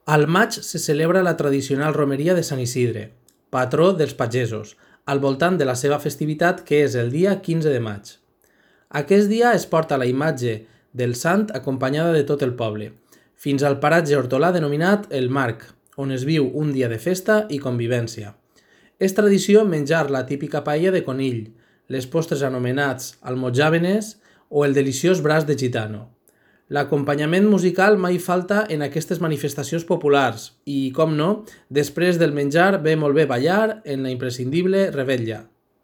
Al maig se celebra la tradicional romeria de Sant Isidre, patró dels pagesos, al voltant de la seva festivitat que és el dia 15 de maig. Aquest dia es porta la imatge del sant acompanyada de tot el poble, fins al paratge hortolà denominat el Marc, on es viu un dia de festa i convivència. És tradició menjar la típica paella de conill, les postres anomenats almojàvenes o el deliciós braç de gitano. L'acompanyament musical mai falta en aquestes manifestacions populars i, com no, després del menjar ve molt bé ballar en la imprescindible revetlla.